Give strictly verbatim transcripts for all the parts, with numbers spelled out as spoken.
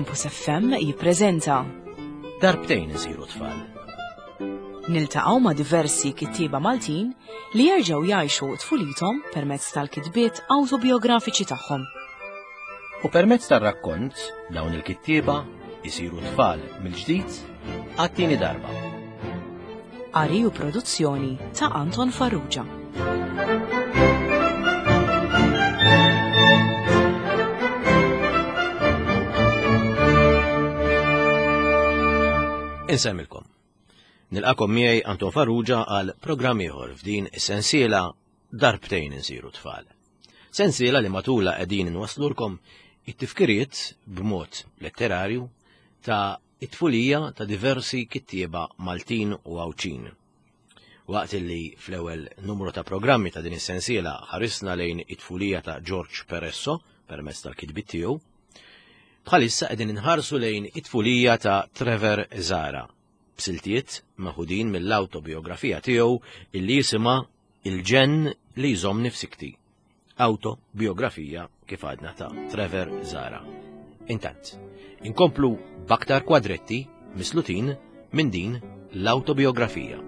Campus F M jippreżenta Darbtejn isiru tfal. Niltaqgħu ma' diversi kittieba Maltin li jerġgħu jgħixu tfulithom permezz tal-kitbiet awtobiografiċi tagħhom. U permezz tar-rakkont dawn il-kittieba isiru tfal mill-ġdid għat-tieni darba. Qari u produzzjoni ta' Anton Farrugia. Insemmilkom. Nilqakom miegħi Anton Farrugia għal programm ieħor f'din is-sensiela Darbtejn insiru tfal. Sensiela li matula qegħdin inwaslulkom it-tifkiriet b'mod letterarju ta' it-tfulija ta' diversi kittieba Maltin u Għawdxin. Waqt li fl-ewwel numru ta' programmi ta' din is-sensiela ħarisna lejn it-tfulija ta' George Peresso permezz tal-kitbiet tiegħu, bħalissa qegħdin inħarsu lejn it-tfulija ta' Trevor Zahra, b'siltiet meħudin mill-awtobiografija tiegħu illi jisimha Il-ġenn li jżommni f'sikti. Autobiografija kif għadna ta' Trevor Zahra. Intant, inkomplu b'aktar kwadretti mislutin minn din l-autobiografija.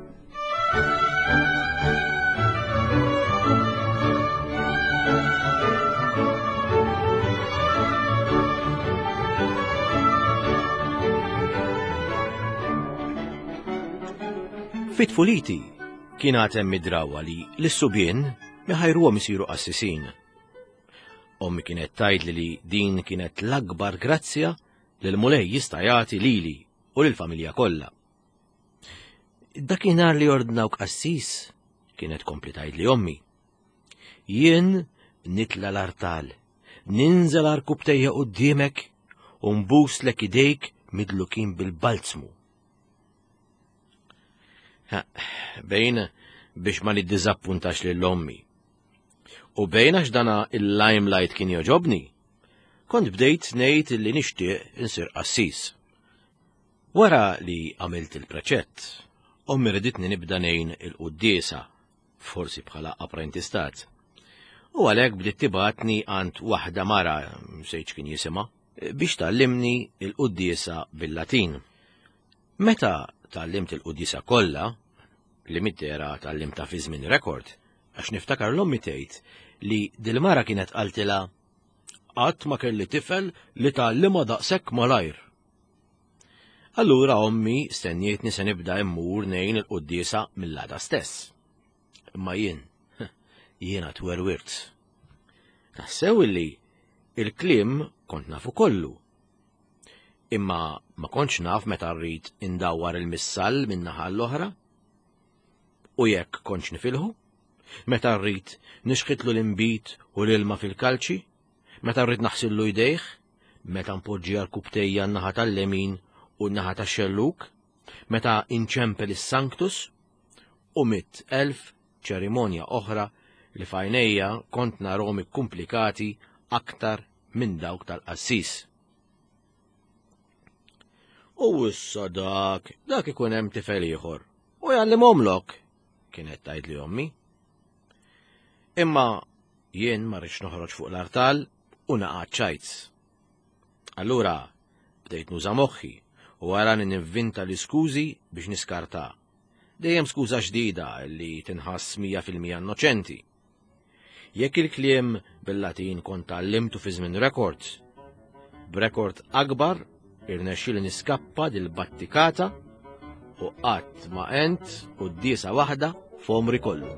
Fit-tfuliti kien għad hemm id-drawwa li l-subien iħajruhom isiru qassisin. Ommi kienet tgħidli li din kienet l-akbar grazzja li l-Mulej jista' jagħti lili u lill-familja kollha. Dakinhar li ordnawk qassis, kienet kompli tgħidli ommi. Jien nitla l-artal, ninżel arkubtejja quddiemek u nbuslek idejk midlukin bil-balzmu. Ha, bejn biex ma niddiżappuntax lil ommi. U bejn għax dana il-limelight kien joġobni, kont bdejt ngħid li nixtieq insir qassis. Wara li għamilt il-preċett, ommi riditni nibda ngħin il-quddiesa, forsi bħala apprentistat. U għalhekk bdiet tibgħatni għand waħda mara, sejċ kien jisimha, biex tgħallimni il-quddiesa bil-Latin. Meta tgħallimt il-quddiesa kollha, li mid-dehra tgħallimtha fi żmien rekord, għax niftakar l-ommi tgħid li dil-mara kienet qaltilha qatt ma kelli tifel li tgħallimha daqshekk malajr. Allura ommi stennietni se nibda immur ngħin il-quddiesa mill-għada stess. Imma jien, jiena twerwirt. Taħsew illi il-kliem kont nafu kollu. Imma ma kontx naf meta rrid indawwar il-missal minn naħa l-oħra. U jekk kontx nifilħu, meta rrid nixħitlu l-inbid u l-ilma fil-kalċi, meta rrid naħsillu jdejh, meta npoġġi għal-kubtejja n-naħa tal-lemin u n-naħa tax-xelluk, meta inċempel is-sanctus, u mitt elf ċerimonja oħra li f'għajnejja kont narhom ikkumplikati aktar minn dawk tal-qassis. U issa dak, dak ikun hemm tifel ieħor u jgħallimhomlok, kienet tgħidli ommi. Imma jien ma rridx noħroġ fuq l-artal u naqa' ċajt. Allura bdejt nuża moħħi u wara ninvinta l-iskużi biex niskarta. Dejjem skuża ġdida li tinħass mija fil-mija innoċenti. Jekk il-kliem bil-Latin kont tgħallimtu fi żmien rekord, b'rekord akbar irnexxieli niskappa dil-battikata u qatt ma għent quddiesa waħda f'għomri kollu.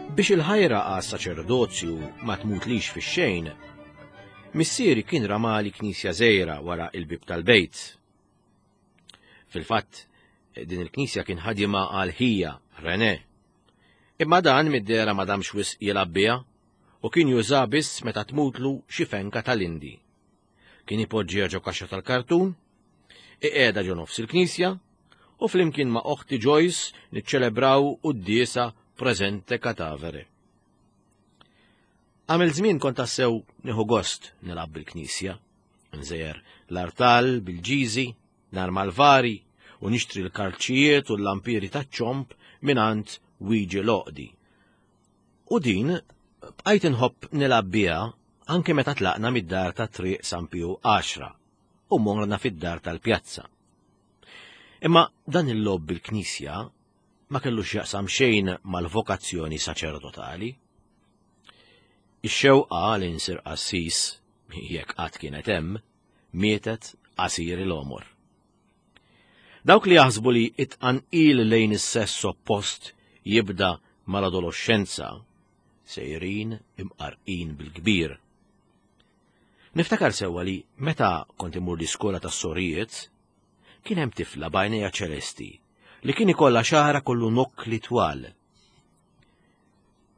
Biex il-ħajra għas saċerdozju ma tmutlix fix-xejn, missieri kien ramali knisja żgħira wara il-bib tal-bejt. Fil-fatt, din il-knisja kien ħadima għal ħija René. Imma dan mid-dehra ma damx wisq jilgħab biha u kien juża biss meta tmutlu xi fenka tal-Indi. Kien ipoġġiha ġo kaxxa tal-kartun, iqiegħda ġo nofs il-knisja u flimkien ma' oħti Joyce niċċelebraw quddiesa presente cadavere. Għamil żmien kont tassew nieħu gost nilgħab bil-knisja, nżejjer l-artal bil-ġiżi, narma l-vari u nixtri l-karċijiet u l-lampiri taċ-ċomb mingħand Wiġi Loqdi. U din bqajt inħobb nilgħab biha anke meta tlaqna mid-dar ta' Triq San Piju għaxra u morna fid-dar tal-pjazza. Imma dan il-logħob bil-knisja ma kellux jaqsam xejn mal-vokazzjoni saċerdotali. Ix-xewqa li nsir qassis, jekk qatt kienet hemm, mietet qasir il-għomor. Dawk li jaħsbu li it-tqanqil lejn is-sess oppost jibda mal-adolescenza sejrin imqarqin bil-kbir. Niftakar sewwa li meta kont imur l-iskola tas-sorijiet, kien hemm tifla b'għajnejha ċelesti li kien ikollha xagħarha kollu nokkli twal.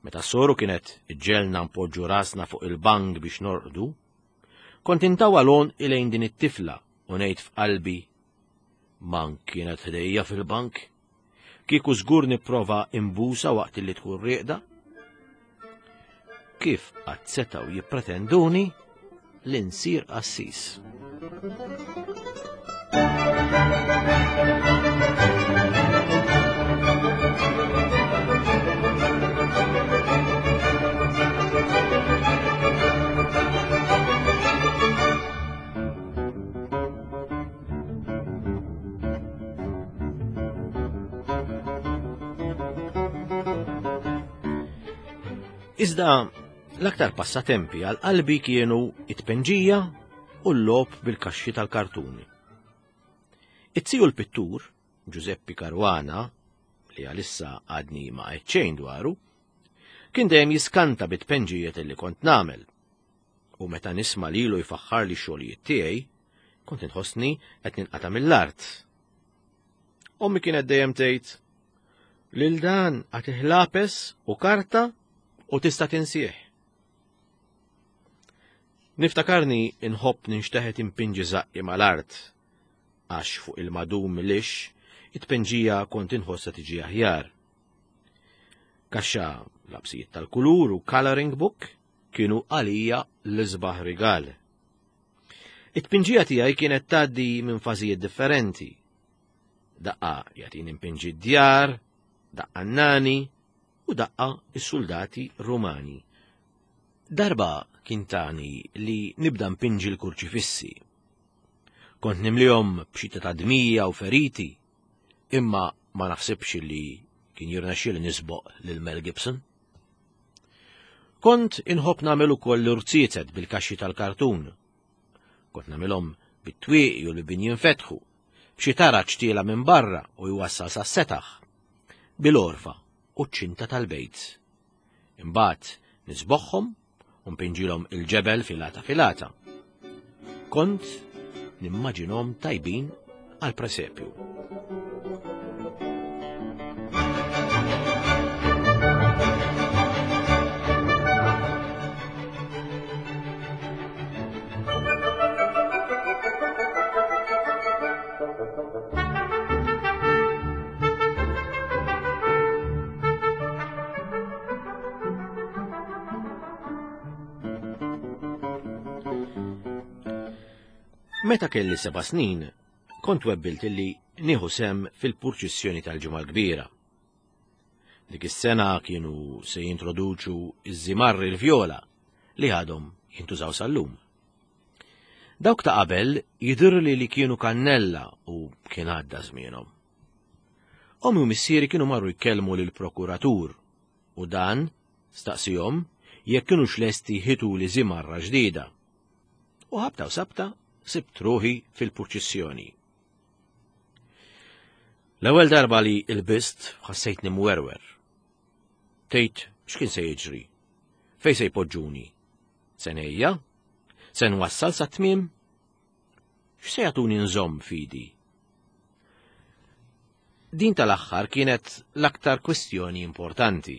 Meta s-soru kienet iġġelna npoġġu rasna fuq il-bank biex norqdu, kont intawwal għonqi lejn din it-tifla u ngħid f'qalbi, man kienet ħdejja fil-bank, kieku żgur nipprova imbusa waqt li tkun rieqda. Kif qatt setgħu jippretenduni li nsir qassis? Iżda l-aktar passatempi għal qalbi kienu it-tpenġija u l-logħob bil-kaxxi tal-kartuni. It-tiju l-pittur, Giuseppe Caruana, li għalissa għadni ma għedt xejn dwaru, kien dejjem jiskanta bit-tpenġijiet li kont nagħmel. U meta nisma' lilu jfaħħar li xogħlijiet tiegħi, kont inħossni qed ninqata' mill-art. Ommi kienet dejjem tgħid, lil dan għatih lapes u karta u tista' tinsieħ. Niftakarni inħobb ninxteħet impinġi żaqqi mal-art, għax fuq il-madum lix it-tpenġija kont inħossha tiġi aħjar. Kaxxa lapsijiet tal-kulur u coloring book kienu għalija l-isbaħ rigal. It-tpinġija tiegħi kienet tgħaddi minn fażijiet differenti. Daqqa jagħtini impinġi d-djar, daqqa n-nani u daqqa is-soldati Rumani. Darba kien tani li nibda mpinġi l-kurċifissi. Kont nimlihom b'xita ta' dmija u feriti, imma ma naħsibx li kien jirnexxieli nisboq lil Mel Gibson. Kont inħobb nagħmel ukoll l-irziezet bil-kaxxi tal-kartun. Kont nagħmilhom bit-twieqi u l-bibien jinfetħu, b'xi taraġ tiela minn barra u jwassal sas-setaħ, bil-orfa u ċ-ċinta tal-bejt. Imbagħad nisboħħom u npinġilhom il-ġebel filata filata. Kont nimmaġinhom tajbin għal presepju. Meta kelli seba' snin, kont webbilt li nieħu sem fil-purċissjoni tal-Ġimgħa l-Kbira. Dik is-sena kienu se jintroduċu iż-żimarri l-vjola li għadhom jintużaw sal-lum. Dawk ta' qabel jidhirli li kienu kannella u kien għadda żmienhom. Ommi u missieri kienu marru jkellmu lill-prokuratur u dan staqsihom jekk kienux lesti jħitu li żimarra ġdida. U ħabta u sabta sibt ruħi fil-purċissjoni. L-ewwel darba li lbist ħassejtni mwerwer. Tgħid x'kien se jiġri? Fejn se jpoġġuni? Se ngħejja? Se nwassal sa tmiem? X'se jagħtuni nżomm fidi? Din tal-aħħar kienet l-aktar kwistjoni importanti.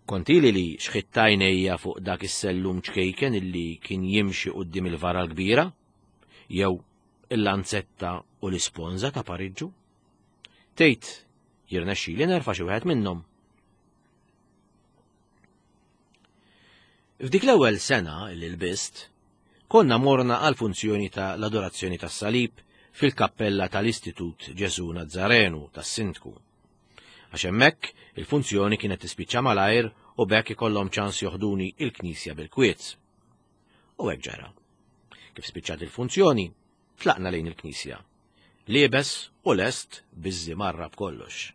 Kont ili li xħitt għajnejja fuq dak is-sellum ċkejken illi kien jimxi quddiem il-vara l-kbira, jew il-lanzetta u l-isponża ta' Pariġġu. Tgħid jirnexxili nerfa' xi wieħed minnhom. F'dik l-ewwel sena li lbist, konna morna għal funzjoni ta' l-adorazzjoni tas-salib fil-kappella tal-Istitut Ġesu Nazzarenu tas-Sindku. Għax hemmhekk il-funzjoni kienet tispiċċa malajr u b'hekk ikollhom ċans joħduni il-knisja bil-kwiet. U hekk ġara. Kif spiċċat il-funzjoni, tlaqna lejn il-knisja. Liebes u lest biż-żimarra b'kollox.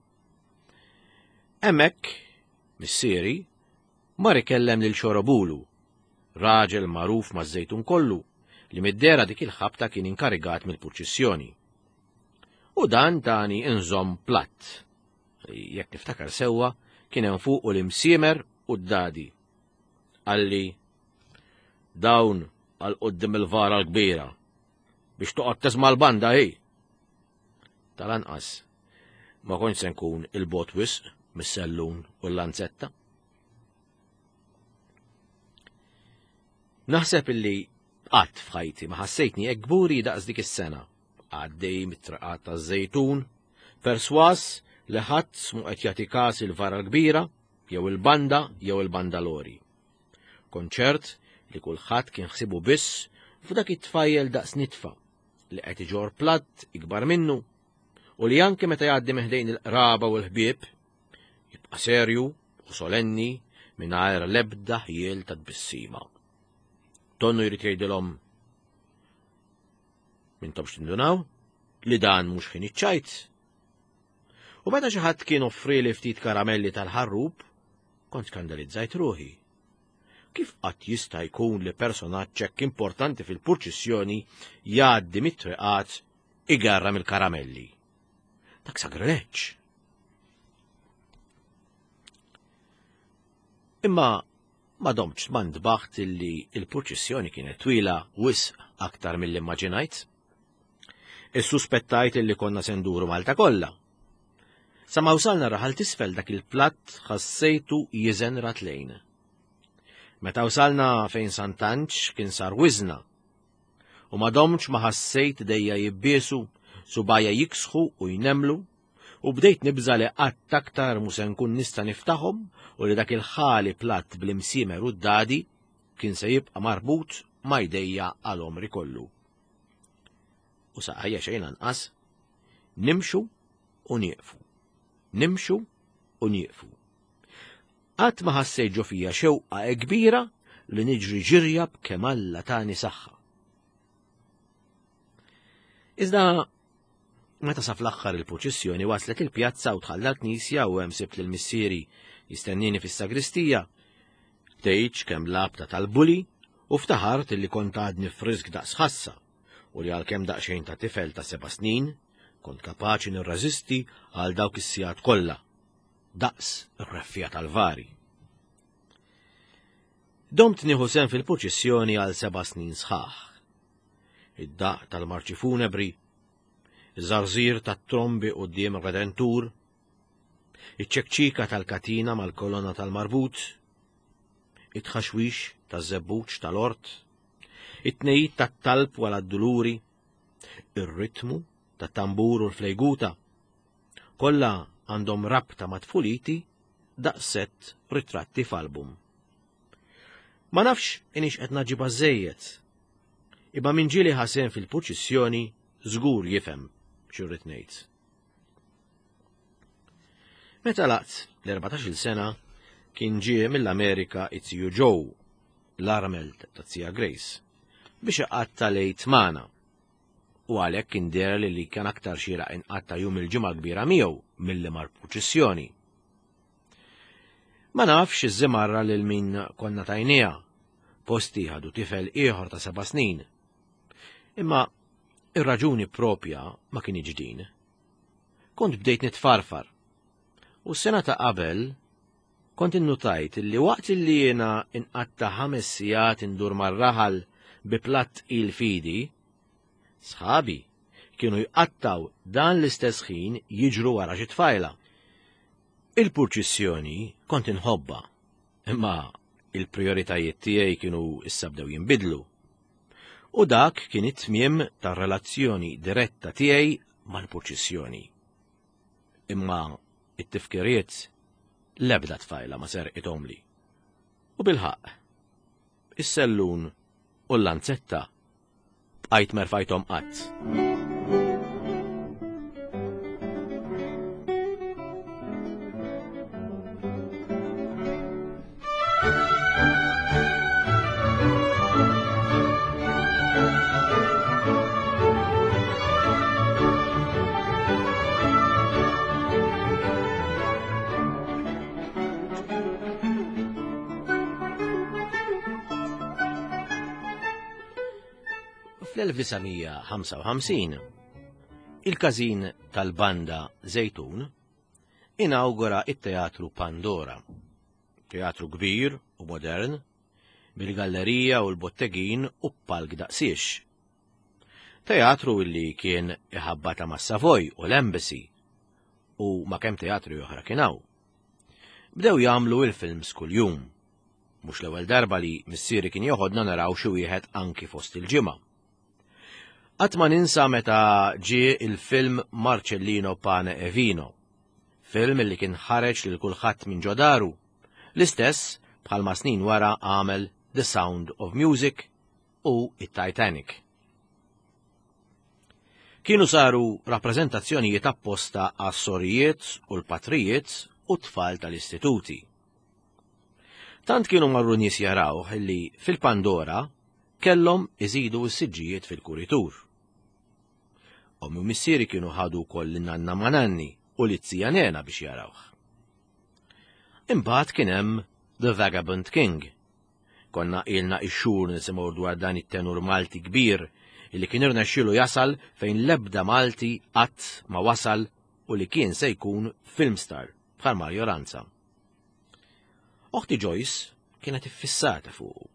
Hemmhekk, missieri, mar ikellem lil Xorobulu, raġel magħruf maż-Żejtun kollu, li mid-dera dik il-ħabta kien inkarigat mill-purċissjoni. U dan tani inżomm platt. Jekk niftakar sewwa, kien hemm fuqu l-imsiemer u d-dadi. Qalli, dawn għal quddiem il-vara l-kbira, biex toqgħod tisma' l-banda hi. Tal-anqas, ma kontx se nkun il-bot wisq mis-sellun u l-lanzetta. Naħseb illi qatt f'ħajti ma ħassejtni hekk kburi daqs dik is-sena, għaddej mit-traqat taż-Żejtun, perswas li ħadd mu qed jagħti każ il-vara l-kbira, jew il-banda jew il-bandalori. Konċert li kulħadd kien ħsibu biss f'dak it-tfajjel daqs nitfa li qed iġor platt ikbar minnu u li anke meta jgħaddi meħdejn il-qraba u l-ħbieb jibqa' serju u solenni mingħajr l-ebda ħjiel ta' tbissima. Tonnu jrid jgħidilhom mintomx tindunaw li dan mhux ħin iċ-ċajt. U meta xi ħadd kien offrili ftit karamelli tal-ħarrub, kont skandalizzajt ruħi. Kif qatt jista' jkun li personaġġ hekk importanti fil-purċissjoni jgħaddi mit-triqat igarra mill-karamelli? Dak sagrileġġ. Imma ma domtx ma ntbaħt illi il-purċissjoni kienet twila wisq aktar mill-immaġinajt. Issuspettajt illi konna se nduru Malta kollha. Sa ma wsalna raħal tisfel dak il-platt ħassejtu jiżen ratlejn. Meta wsalna fejn Sant'Anġ kien sar wiżna. U ma domtx ma ħassejt dejja jibbiesu, subajja jiksħu u jnemlu, u bdejt nibża li qatt aktar mu se nkun nista' niftaħhom u li dak il-ħali platt bl-imsiemer u d-dadi kien se jibqa' marbut ma' jdejja għal għomri kollu. U saqajja xejn anqas, nimxu u nieqfu, nimxu u nieqfu. Qatt ma ħassejt ġo fija xewqa kbira li niġri ġirja b'kemm Alla tani saħħa. Iżda meta sa fl-aħħar il-purċissjoni waslet il-pjazza u dħalna l-knisja u hemm sibt lil missieri jistennini fis-sagristija, tgħidx kemm labta tal-buli u ftaħart illi kont għadni frisk daqs ħassa u li għalkemm daqsxejn ta' tifel ta' seba' snin kont kapaċi nirreżisti għal dawk is-sigħat kollha, daqs ir-reffija tal-vari. Domt nieħu sehem fil-purċissjoni għal seba' snin sħaħ. Id-daq tal-marċi funebri, iż-żarżir tat-trombi quddiem ir-Redentur, iċ-ċekċika tal-katina mal-kolonna tal-marbut, it-tħaxwix taż-żebbuġ tal-ort, it-tnejjid tat-talb wara d-duluri, ir-ritmu tat-tambur u l-flejguta, kollha għandhom rabta ma' tfuliti daqshekk ritratti f'album. Ma nafx inix qed naġibha żejjed, imma min ġieli ħasen fil-purċissjoni żgur jifhem x'irrid ngħid. Meta laqt l-erbatax-il sena kien ġie mill-Amerika it-tiju Joe, l-armel ta' tija Grace, biex iqatta' lejt magħna. U għalhekk kien deher li li kien aktar xieraq inqatta' jum il-ġimgħa kbira miegħu milli mar-purċissjoni. Ma nafx iż-żimarra lil min konna tajniha, posti ħadu tifel ieħor ta' seba' snin. Imma ir-raġuni propja ma kienx din. Kont bdejt nitfarfar. U s-sena ta' qabel kont innutajt li waqt li jiena inqatta' ħames sigħat indur mar-raħal bi platt il-fidi, sħabi kienu jqattaw dan l-istess ħin jiġru wara xi tfajla. Il-purċissjoni kont inħobba, imma il-prijoritajiet tiegħi kienu issa bdew jinbidlu. U dak kien it-tmiem tar-relazzjoni diretta tiegħi mal-purċissjoni. Imma it-tifkiriet l-ebda tfajla ma serqithomli. U bil-ħaqq, Is-sellun u l-lanzetta bqajt merfajthom qatt. Fl-elf disa' mija ħamsa u ħamsin, il-każin tal-banda Żejtun inawgura it-Teatru Pandora, teatru kbir u modern, bil-gallerija u l-bottegin u palk daqsiex. Teatru illi kien iħabbata ma' Savoy u l-Embassy u ma' kemm teatru oħra kien hawn. Bdew jagħmlu il-films kuljum. Mhux l-ewwel darba li missieri kien joħodna naraw xi wieħed anki fost il-ġimgħa. Qatt ma ninsa meta ġie il-film Marcellino Pane e Vino, film li kien ħareġ lil kulħadd minn ġodaru, l-istess bħalma snin wara għamel The Sound of Music u it-Titanic. Kienu saru rappreżentazzjonijiet apposta għas-sorijiet u l-patrijiet u t-tfal tal-istituti. Tant kienu marru nies jarawh illi fil-Pandora kellhom iżidu s-siġġijiet fil-kuritur. Ommi u missieri kienu ħadu wkoll lin-nanna ma' nanni u lit-zija Nena biex jarawh. Imbagħad kien hemm The Vagabond King. Konna ilna ix-xhur nisimgħu dwar dan it-tenur Malti kbir illi kien irnexxielu jasal fejn l-ebda Malti qatt ma wasal u li kien se jkun film star bħal Mario Lanza. Oħti Joyce kienet iffissata fuqu.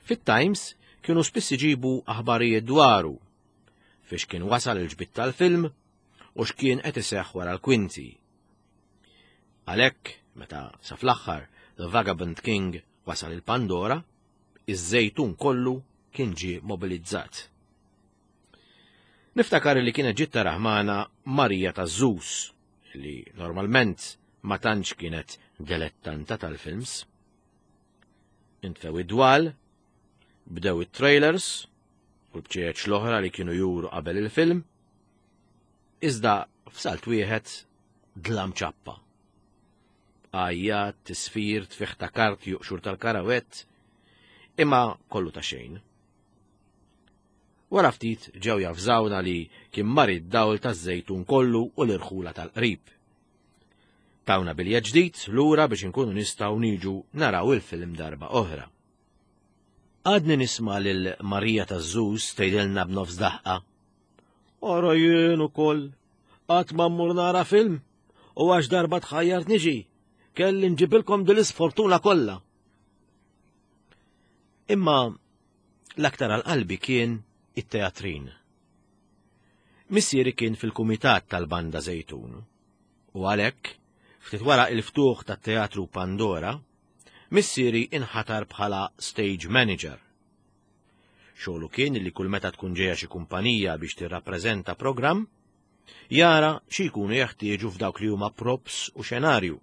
Fit-Times kienu spiss iġibu aħbarijiet dwaru fiex kien wasal il-ġbid tal-film u x'kien qed iseħħ wara l-kwinti. Għalhekk, meta sa fl-aħħar The Vagabond King wasal il-Pandora, iż-Żejtun kollu kien ġie mobilizzat. Niftakar li kienet ġiet taraħmana Marija taż-Żus, li normalment ma tantx kienet dilettanta tal-films. Intfew id-dwal, bdew it-trailers u l-bċieċ l-oħra li kienu juru qabel il-film, iżda f'salt wieħed dlam ċappa. Għajjat, tisfir, tfiħ ta' karti juqxur tal-karawett, imma kollu ta' xejn. Wara ftit ġew jafżawna li kien mar id-dawl taż-Żejtun kollu u l-irħula tal-qrib. Tawna bilja ġdid lura biex inkunu nistgħu niġu naraw il-film darba oħra. Għadni nisma' lil Marija taż-Żus tgħidilna b'nofs daħqa. Ora jien ukoll, qatt ma mmur nara film u għax darba tħajjart niġi, kelli nġibilkom din l-isfortuna kollha. Imma l-aktar għal qalbi kien it-teatrin. Missieri kien fil-kumitat tal-Banda Żejtun u għalhekk ftit wara il-ftuħ tat-Teatru Pandora, missieri inħatar bħala stage manager. Xogħlu kien li kull meta tkun ġejja xi kumpanija biex tirrappreżenta programm, jara xi jkunu jeħtieġu f'dawk li huma props u xenarju.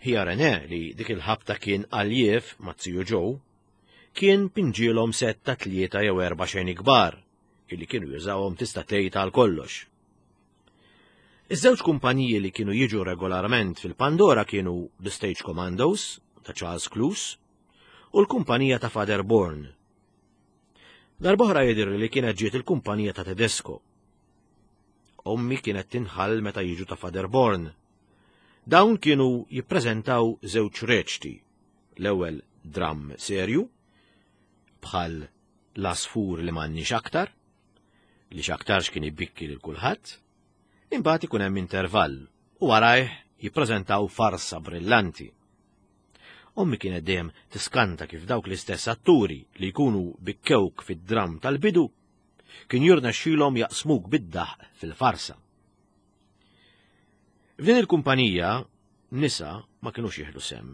Ħija René li dik il-ħabta kien għaljef ma' ziju Joe, kien pinġielhom set ta' tlieta jew erba' xeni kbar, illi kienu jużawhom tista' tgħid għal kollox. Iż-żewġ kumpaniji li kienu jiġu regolarment fil-Pandora kienu The Stage Commandos ta' Charles Cluse u l-kumpanija ta' Father Bourne. Darb'oħra jidher li kienet ġiet il-kumpanija ta' Tedesco. Ommi kienet tinħall meta jiġu ta' Father Bourne. Dawn kienu jippreżentaw żewġ reċti. L-ewwel dram serju, bħal l-asfur li m'għandniex aktar, li x'aktarx kien ibikki lil kulħadd, imbagħad ikun hemm intervall u warajh jippreżentaw farsa brillanti. Ommi kienet dejjem tiskanta kif dawk l-istess atturi li jkunu bikkewk fid-dram tal-bidu kien jirnexxilhom jaqsmuk bid-daħq fil-farsa. F'din il-kumpanija nisa ma kinux jieħdu sem.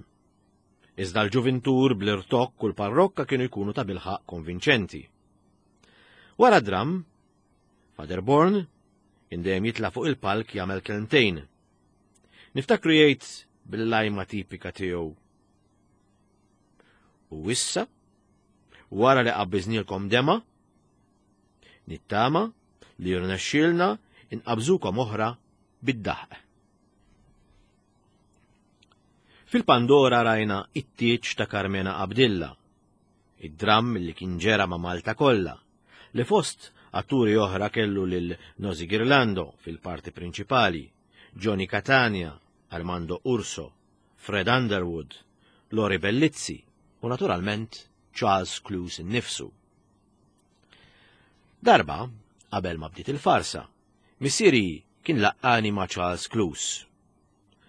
Iżda l-ġuvintur bl-irtokk u l-parrokka kienu jkunu ta' bilħaq konvinċenti. Wara dram, Father Bourne indejjem jitla' fuq il-palk jagħmel kelmtejn. Niftakru jgħid bil-lajma tipika tiegħu. U issa, wara li qabbiżnielkom dema, nittama li jirnexxielna inqabżukom oħra bid-daħq. Fil-Pandora rajna it-tieġ ta' Karmena Abdilla, id-dramm li kien ġera ma' Malta kollha, li fost atturi oħra kellu lil Nozi Girlando fil-parti prinċipali, Johnny Catania, Armando Urso, Fred Underwood, Lori Bellizzi u naturalment Charles Cluse innifsu. Darba, qabel ma bdiet il-farsa, missieri kien laqqani ma' Charles Cluse.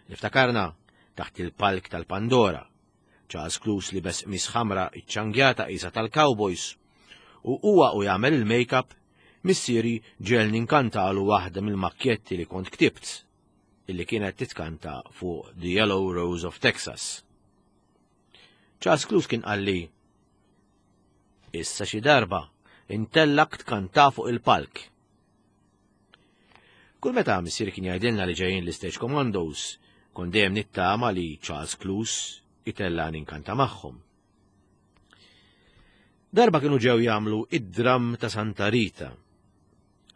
Niftakarna taħt il-palk tal-Pandora. Charles Cluse libes qmis ħamra iċċangjata qisha tal-Cowboys u huwa u jagħmel il-make-up, missieri ġegħelni nkantalu waħda mill-makkjetti li kont ktibt, illi kienet titkanta fuq The Yellow Rose of Texas. Charles Cluse kien qalli, issa xi darba intellak tkanta fuq il-palk. Kull meta missieri kien jgħidilna li ġejjin l-Stage Commandos, kont dejjem nittama li Charles Cluse itellani nkanta magħhom. Darba kienu ġew jagħmlu id-dramm ta' Santa Rita.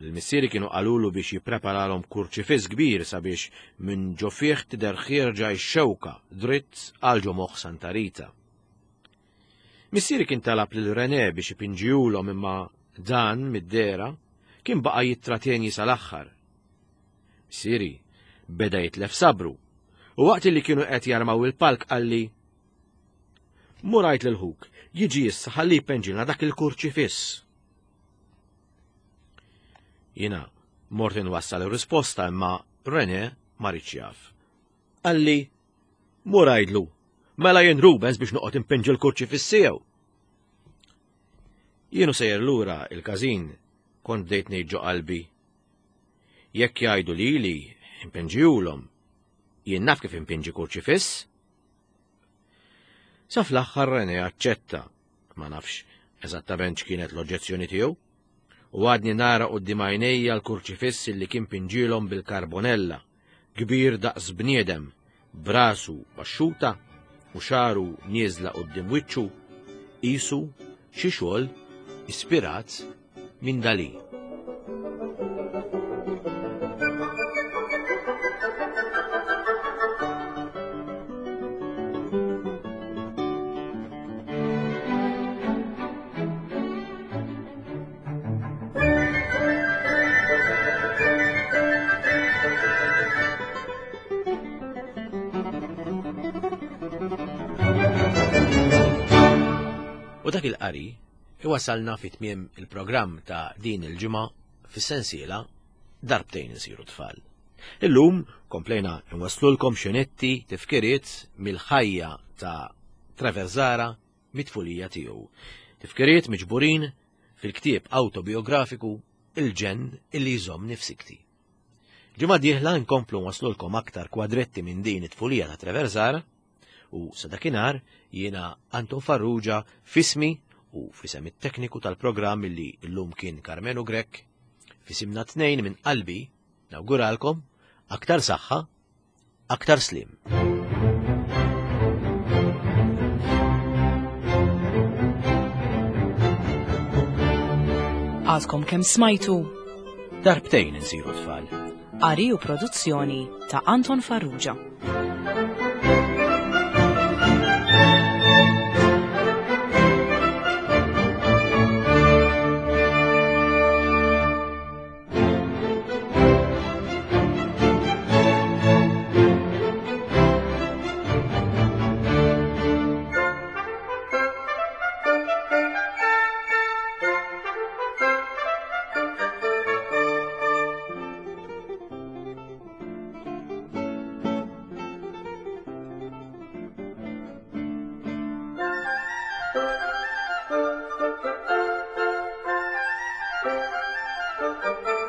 Il-missieri kienu qalulu biex jippreparalhom kurċifiss kbir sabiex minn ġo fih tidher ħierġa x-xewka dritt għal ġo moħħ Santa Rita. Missieri kien talab lil René biex ipinġihulhom imma dan mid-dehra kien baqa' jittratjenji sal-aħħar. Missieri beda jitlef sabru u waqt li kienu qed jarmaw il-palk qalli, mur għid lil ħuk, jiġi issa ħalli jpenġilna dak il-kurċifiss. Jiena mort inwassal ir-risposta imma René ma riedx jaf. Qalli, mur għidlu, mela jien Rubens biex noqgħod impenġi l-kurċifiss tiegħu. Jienu sejjer lura il-każin kont bdejt ngħid ġo qalbi. Jekk jgħidu lili impenġihulhom, jien naf kif impinġi kurċifiss. Sa fl-aħħar René aċċetta, ma nafx eżattament x'kienet l-oġġezzjoni tiegħu, u għadni nara quddiem għajnejja l-kurċifiss li kien pinġilhom bil-karbonella, kbir daqs bniedem, brasu baxxuta u xaru nieżla quddiem wiċċu, qisu xi xogħol ispirat minn Dalí. U dak il-qari iwasalna fi tmiem il-programm ta' din il-ġimgħa fis-sensiela Darbtejn insiru tfal. Illum komplejna nwaslulkom xenetti tifkiriet mill-ħajja ta' Trevor Zahra mit-tfulija tiegħu. Tifkiriet miġburin fil-ktieb autobiografiku Il-ġenn illi jżomm nifsikti. Ġimgħa dieħla nkomplu nwaslulkom aktar kwadretti minn din it-tfulija ta' Trevor Zahra u sa dakinhar jiena Anton Farrugia fismi u fisem it-tekniku tal-programm illi llum kien Karmenu Grech, fisimna tnejn minn qalbi nawguralkom aktar saħħa, aktar slim. Għadkom kemm smajtu Darbtejn insiru tfal. Qari u produzzjoni ta' Anton Farrugia. Thank you.